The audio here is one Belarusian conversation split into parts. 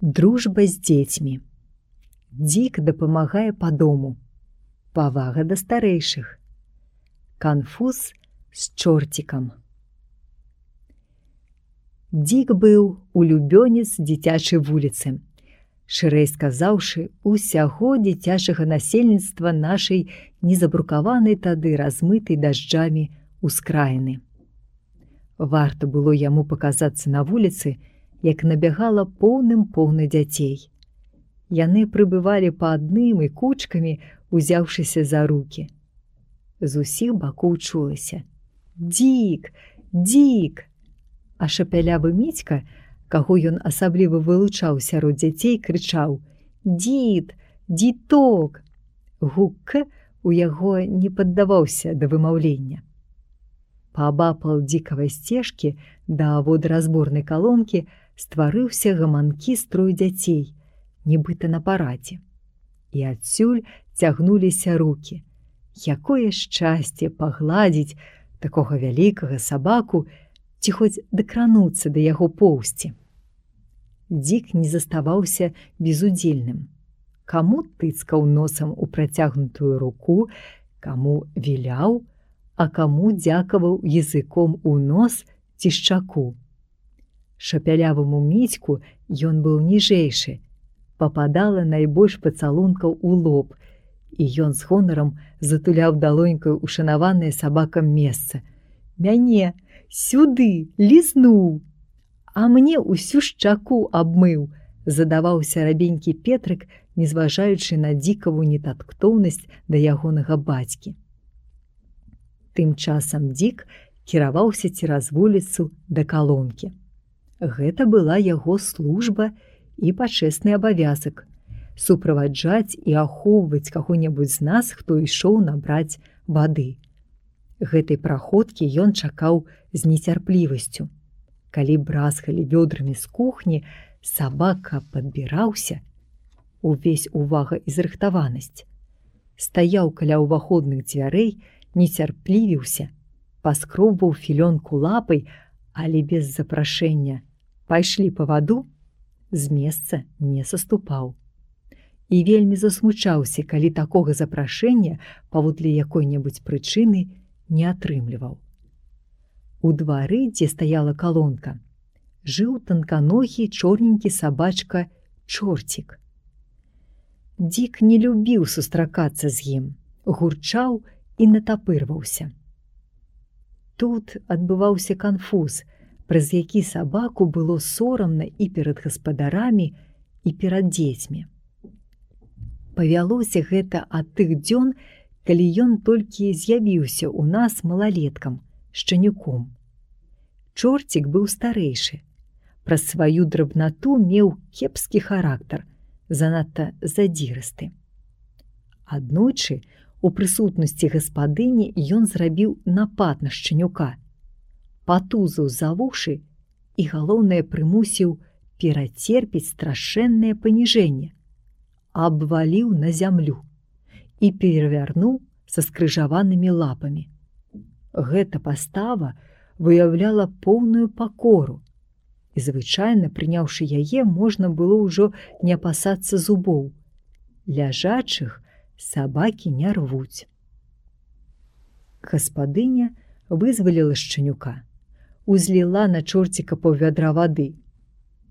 Дружба з дзецьмі. Дзік дапамагае па дому. Павага да старэйшых. Канфуз з чорцікам. Дзік быў улюбёнец дзіцячай вуліцы. Шырэй сказаўшы, усяго дзіцячага насельніцтва нашай незабрукаванай тады размытай дажджамі ускраіны. Варта было яму паказацца на вуліцы, як набягала поўна дзяцей. Яны прыбывалі па адным і кучкамі, узяўшыся за рукі. З усіх бакоў чулася: «Дзік! Дзік!» А шапялявы Міцька, каго ён асабліва вылучаў сярод дзяцей, крычаў: «Дзід! Дзіток!» Гук «к» у яго не паддаваўся да вымаўлення. Паабапал дзікавай сцежкі да водаразборнай калонкі стварыўся гаманкі строй дзяцей, нібыта на парадзе. І адсюль цягнуліся рукі. Якое шчасце пагладзіць такога вялікага сабаку ці хоць дакрануцца да яго поўсці. Дзік не заставаўся безудзельным. Каму тыцкаў носам у працягнутую руку, каму віляў, а каму дзякаваў языком у нос ці шчаку. Шапяляваму Міцьку ён быў ніжэйшы, пападала найбольш пацалункаў у лоб, і ён з гонарам затуляў далонькаю ушанаванае сабакам месца. «Мяне сюды лізнуў, а мне ўсю шчаку абмыў», задаваўся рабенькі Петрык, незважаючы на дзікаву нетактоўнасць да ягонага бацькі. Тым часам Дзік кіраваўся цераз вуліцу да калонкі. Гэта была яго служба і пачэсны абавязак – суправаджаць і ахоўваць каго-небудзь з нас, хто ішоў набраць вады. Гэтай праходкі ён чакаў з нецярплівасцю. Калі бразгалі вёдрамі з кухні, сабака падбіраўся, увесь увага і зрыхтаванасць. Стаяў каля ўваходных дзвярэй, нецярплівіўся, паскробваў філёнку лапай, але без запрашэння «пайшлі па ваду» з месца не саступаў. І вельмі засмучаўся, калі такога запрашэння паводле якой-небудзь прычыны не атрымліваў. У двары, дзе стаяла калонка, жыў танканогі чорненькі сабачка Чорцік. Дзік не любіў сустракацца з ім, гурчаў і натапырваўся. Тут адбываўся канфуз, праз які сабаку было сорамна і перад гаспадарамі, і перад дзецьмі. Павялося гэта ад тых дзён, калі ён толькі з'явіўся ў нас малалеткам, шчанюком. Чорцік быў старэйшы. Праз сваю драбнату меў кепскі характар, занадта задзірысты. Аднойчы, у прысутнасці гаспадыні ён зрабіў напад на шчанюка, патузаў за вушы і, галоўнае, прымусіў перацерпець страшэннае паніжэнне, абваліў на зямлю і перавярнуў са скрыжаванымі лапамі. Гэта пастава выяўляла поўную пакору, і звычайна, прыняўшы яе, можна было ўжо не апасацца зубоў. Ляжачых сабакі не рвуць. Гаспадыня вызваліла шчанюка, узліла на Чорціка паўвядра вады.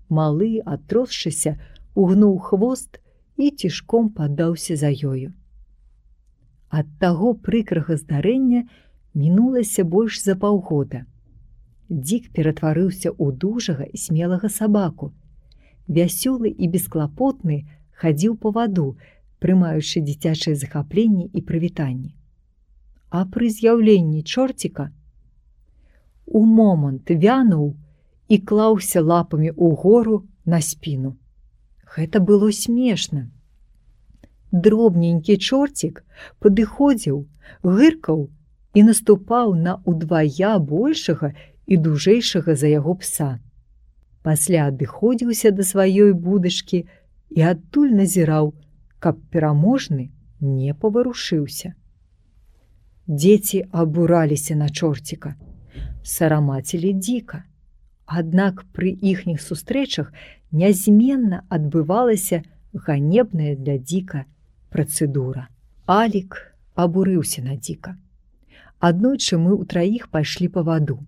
Малы, атросшыся, угнуў хвост і цішком паддаўся за ёю. Ад таго прыкрага здарэння мінулася больш за паўгода. Дзік ператварыўся ў дужага і смелага сабаку. Вясёлы і бесклапотны хадзіў па ваду, прымаючы дзіцячыя захапленні і прывітанні. А пры з'яўленні Чорціка у момант вянуў і клаўся лапамі ўгору на спіну. Гэта было смешна. Дробненькі Чорцік падыходзіў, гыркаў і наступаў на удвая большага і дужэйшага за яго пса. Пасля адыходзіўся да сваёй будачкі і адтуль назіраў, каб пераможны не паварушыўся. Дзеці абураліся на Чорціка, сарамацілі Дзіка, Аднак пры іхніх сустрэчах нязменна адбывалася ганебная для Дзіка працэдура. Алік абурыўся на Дзіка. Аднойчы мы ўтраіх пайшлі па ваду.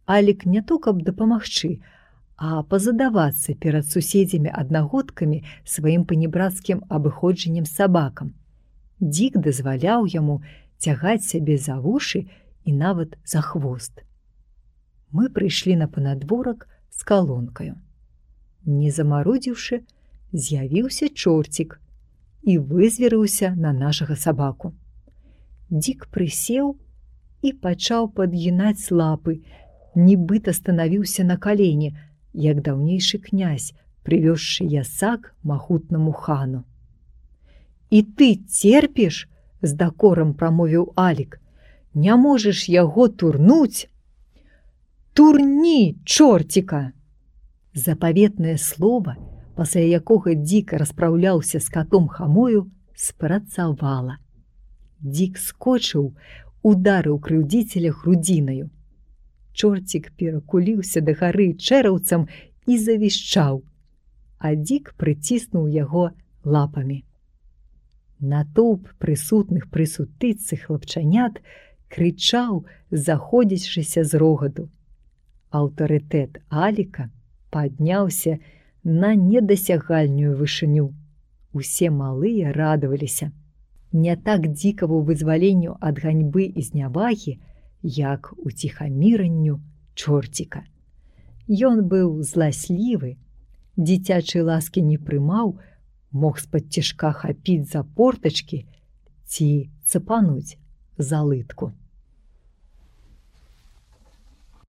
Алік не то каб дапамагчы, а пазадавацца перад суседзямі-аднагодкамі сваім панібрацкім абыходжаннем з сабакам. Дзік дазваляў яму цягаць сябе за вушы і нават за хвост. Мы прыйшлі на панадворак з калонкаю. Не замарудзіўшы, з'явіўся чорцік і вызверыўся на нашага сабаку. Дзік прысеў і пачаў падгінаць лапы, нібыта станавіўся на калені, як даўнейшы князь, прывёзшы ясак магутнаму хану. «І ты церпіш?» – з дакорам прамовіў Алік. «Не можаш яго турнуць?» «Турні, чорціка!» Запаветнае слова, пасля якога Дзік распраўляўся з катом Хамою, спрацавала. Дзік скочыў, ударыў крыўдзіцеля грудзінаю. Чорцік перакуліўся дагары чэраўцам і завішчаў, а Дзік прыціснуў яго лапамі. Натоўп прысутных пры сутычцы хлапчанят крычаў, заходзячыся з рогаду. Аўтарытэт Аліка падняўся на недасягальную вышыню. Усе малыя радаваліся. Не так Дзікаву вызваленню ад ганьбы і знявагі, як уціхаміранню чорціка. Ён быў зласлівы, дзіцячай ласкі не прымаў, мог з-пад цішка хапіць за портачкі ці цапануць за лытку.